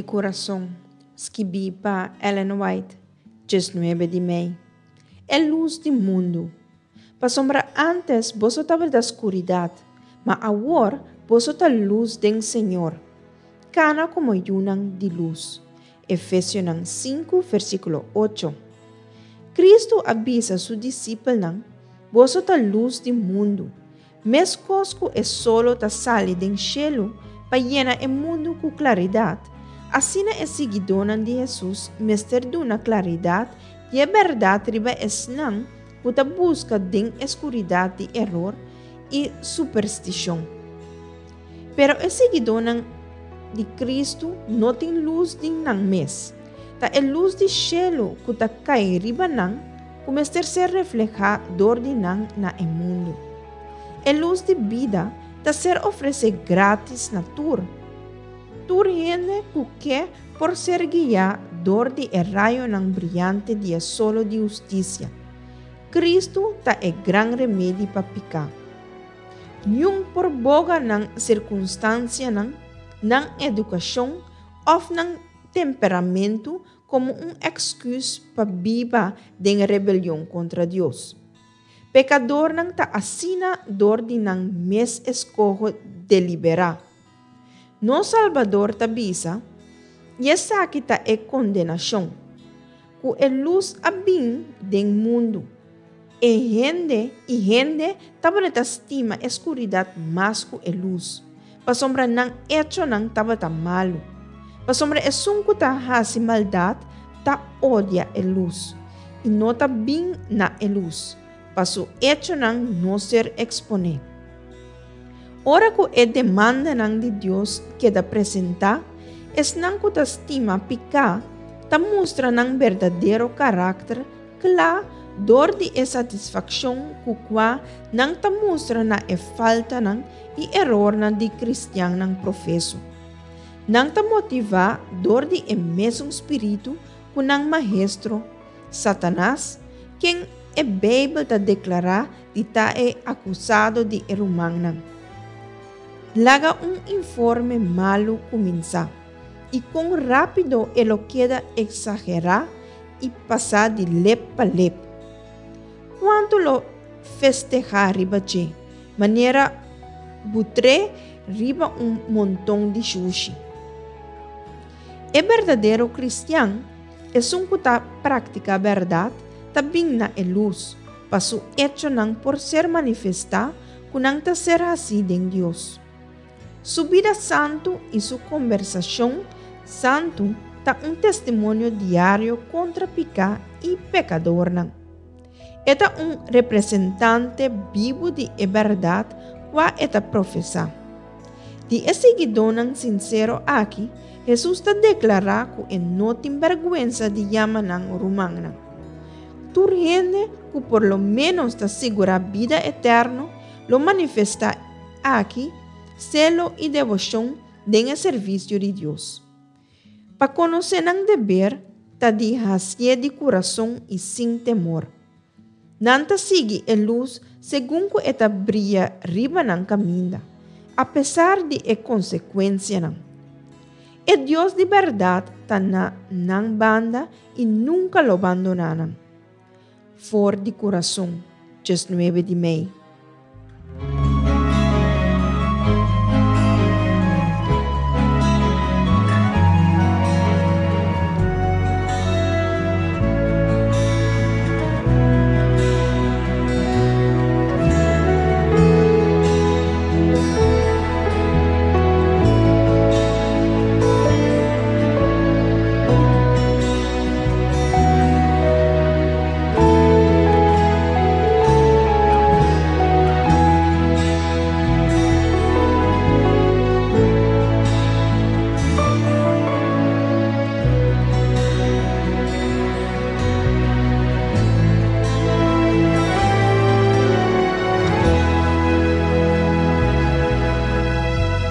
kurason, skibí pa Ellen White, 19 di mei. E lus di mundu. Pasobra ántes boso tabata skuridat, ma awor boso ta lus den Señor. Kana komo yunan di lus. Efesionan sinku, versíkulo ocho. Kristu a bisa su disipelnan, Boso ta lus di mundu. Meskos ku e solo ta sali den shelu pa yena e mundu ku klaridat, asina e siguidónan di Hesus mester duna klaridat di e bèrdat riba esnan ku ta buska den e skuridat di eror i superstishon. Pero e siguidónan di Kristu no tin lus di nan mes. Ta e lus di shelu ku ta kai riba nan ku mester ser reflehá dor di nan na e mundu. E lus di bida ta ser ofresé grátis na tur. Tur hende ku ke por ser guiá dor di e rayonan briante di e solo di hustisia. Kristu ta e gran remedi pa piká. Niun por boga nan sirkunstansianan, nan edukashon òf nan temperamentu komo un èksküs pa biba den rebelion kontra Dios. Pekadornan ta asina dor di nan mes eskoho deliberá. Nos Salbador ta bisa, I esaki ta e kondenashon, ku e lus a bin den mundu, E hende i hende tabata stima e skuridat mas ku e lus, pasobra nan echonan tabata malu. Pasobra esun ku ta hasi maldat ta odia e lus, i no ta bin na e lus, pa su echonan no ser eksponé. Ora ku e demandanan di Dios keda presentá, esnan ku ta stima piká ta mustra nan berdadero karakter Kla dor di e satisfakshon ku kua nan ta mustra na e faltanan i erornan di kristiannan profeso. Nan ta motivá dor di e mesun spiritu ku nan maestro, Satanas, ken e Beibel ta deklará di ta e akusado di e rumannan. Laga un informe malu kuminsá, i kon rápido e lo keda eksagerá i pasá di lep pa lep. Kuantu lo festehá riba dje, manera butré riba un monton di shushi. E berdadero kristian, esun ku ta praktiká bèrdat, ta bin na e lus, pa su echonan por ser manifestá ku nan ta ser hasí den Dios. Su bida santu i su kombersashon santu ta un testimonio diario kontra piká i pekadornan. E ta un representante bibu di e bèrdat kua e ta profesá. Di e siguidónan sinsero aki, Hesus ta deklará ku e no tin bèrgwensa di yama nan rumannan. Tur hende ku por lo ménos ta sigurá bida eterno lo manifestá aki selo i deboshon den e servisio di Dios. Pa konosé nan deber ta di hasié di kurason i sin temor. Nan ta sigui e lus segun ku e ta bria riba nan kaminda, apesar di e konsekuensianan. E Dios di bèrdat ta na nan banda i nunka lo bandoná nan. For di kurason, 19 di mei.